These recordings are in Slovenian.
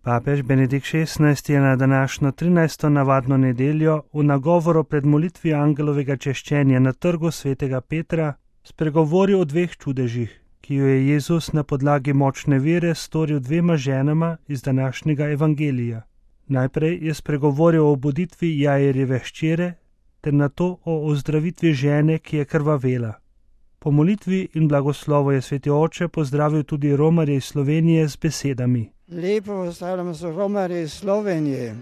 Papež Benedikt XVI je na današnjo 13. navadno nedeljo v nagovoru pred molitvijo angelovega češčenja na trgu svetega Petra spregovoril o dveh čudežih, ki jo je Jezus na podlagi močne vere storil dvema ženama iz današnjega evangelija. Najprej je spregovoril o obuditvi Jairjeve hčere ter nato o ozdravitvi žene, ki je krvavela. Po molitvi in blagoslovu je sveti oče pozdravil tudi romarje iz Slovenije z besedami: Lepo pozdravljam so romarje iz Slovenije.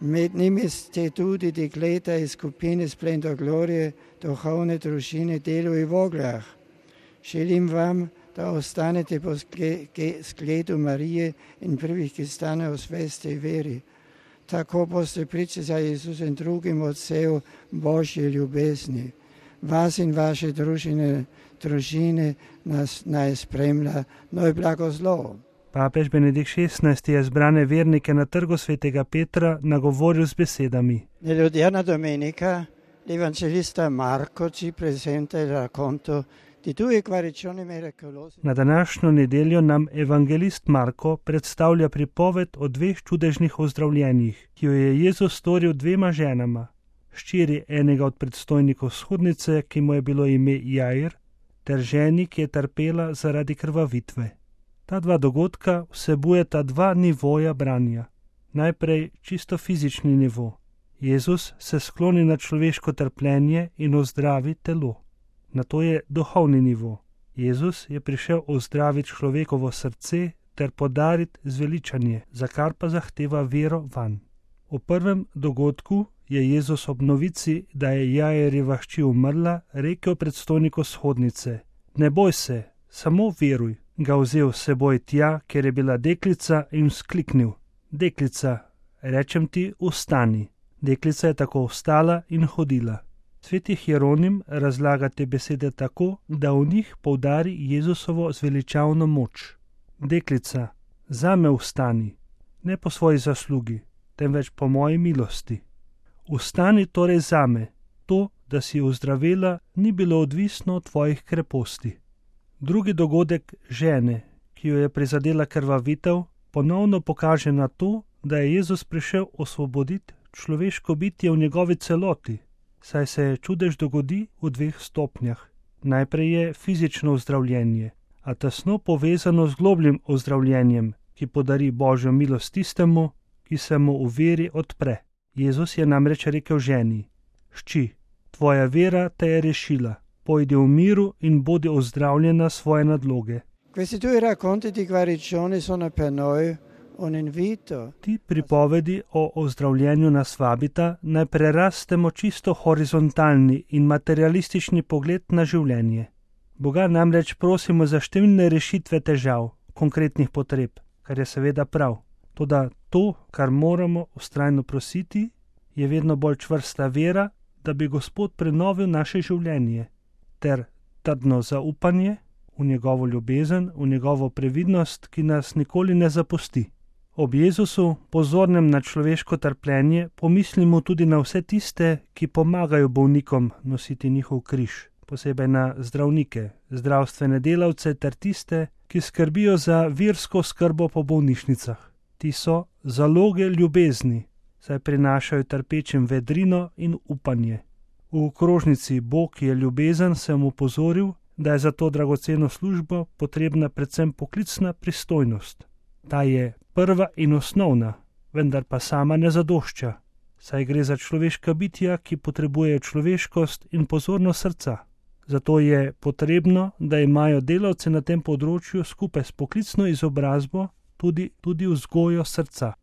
Med njimi ste tudi dekleta iz skupine Splendor Glorie, duhovne družine Delu i Vogljah. Želim vam, da ostanete po zgledu Marije in prvih, ki stanejo v svesti veri. Tako boste priče za Jezusa in drugim odsev Božje ljubezni. Vas in vaše družine nas naj spremlja, noj blagoslov. Papež Benedikt XVI je zbrane vernike na trgu svetega Petra nagovoril z besedami: Nell'odierna domenica l'evangelista Marco ci presenta il racconto di due guarigioni miracolose. Na današnjo nedeljo nam evangelist Marko predstavlja pripoved o dveh čudežnih ozdravljenjih, ki jo je Jezus storil dvema ženama, hčeri enega od predstojnikov shodnice, ki mu je bilo ime Jair, ter ženi, ki je trpela zaradi krvavitve. Ta dva dogodka vsebujeta dva nivoja branja. Najprej čisto fizični nivo. Jezus se skloni na človeško trpljenje in ozdravi telo. Nato je duhovni nivo. Jezus je prišel ozdraviti človekovo srce ter podariti zveličanje, za kar pa zahteva vero vanj. V prvem dogodku je Jezus ob novici, da je Jairjeva hči umrla, rekel predstojniku shodnice: Ne boj se, samo veruj. Ga vzel s seboj tja, kjer je bila deklica, in vzkliknil: Deklica, rečem ti, vstani. Deklica je tako vstala in hodila. Sveti Hieronim razlaga te besede tako, da v njih poudari Jezusovo zveličavno moč. Deklica, zame vstani, ne po svoji zaslugi, temveč po moji milosti. Vstani torej zame, to, da si ozdravela, ni bilo odvisno od tvojih kreposti. Drugi dogodek žene, ki jo je prizadela krvavitev, ponovno pokaže na to, da je Jezus prišel osvoboditi človeško bitje v njegovi celoti, saj se čudež dogodi v dveh stopnjah. Najprej je fizično ozdravljenje, a tesno povezano z globljim ozdravljenjem, ki podari Božjo milost tistemu, ki se mu v veri odpre. Jezus je namreč rekel ženi: Hči, tvoja vera te je rešila. Pojdi v miru in bodi ozdravljena svoje nadloge. Questi due racconti di guarigione sono per noi un invito. Ti pripovedi o ozdravljenju nas vabita, naj prerastemo čisto horizontalni in materialistični pogled na življenje. Boga namreč prosimo za številne rešitve težav, konkretnih potreb, kar je seveda prav. Toda to, kar moramo vztrajno prositi, je vedno bolj čvrsta vera, da bi Gospod prenovil naše življenje, ter trdno zaupanje v njegovo ljubezen, v njegovo previdnost, ki nas nikoli ne zapusti. Ob Jezusu, pozornem na človeško trpljenje, pomislimo tudi na vse tiste, ki pomagajo bolnikom nositi njihov križ, posebej na zdravnike, zdravstvene delavce ter tiste, ki skrbijo za versko skrbo po bolnišnicah. Ti so zaloge ljubezni, saj prinašajo trpečim vedrino in upanje. V krožnici Bog je ljubezen sem opozoril, da je za to dragoceno službo potrebna predvsem poklicna pristojnost. Ta je prva in osnovna, vendar pa sama ne zadošča, saj gre za človeška bitja, ki potrebujejo človeškost in pozornost srca. Zato je potrebno, da imajo delavci na tem področju skupaj s poklicno izobrazbo tudi vzgojo srca.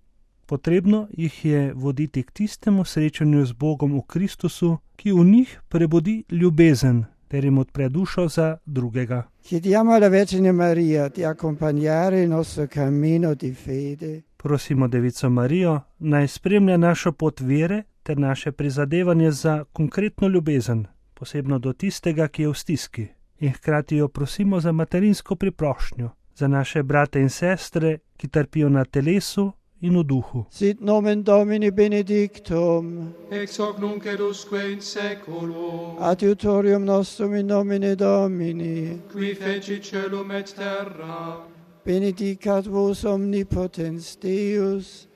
Potrebno jih je voditi k tistemu srečanju z Bogom v Kristusu, ki v njih prebudi ljubezen, ter jim odpre dušo za drugega. Chiediamo alla Vergine Maria di accompagnare il nostro cammino di fede. Prosimo Devico Marijo, naj spremlja našo pot vere ter naše prizadevanje za konkretno ljubezen, posebno do tistega, ki je v stiski. In hkrati jo prosimo za materinsko priprošnjo, za naše brate in sestre, ki trpijo na telesu in v duhu. Sit nomen Domini benedictum, ex hoc nunc et usque in seculum, adiutorium nostrum in nomine Domini, qui feci celum et terra. benedicat vos omnipotens Deus,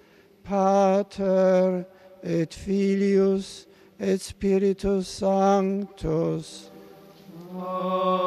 Pater et Filius et Spiritus Sanctus. Amen.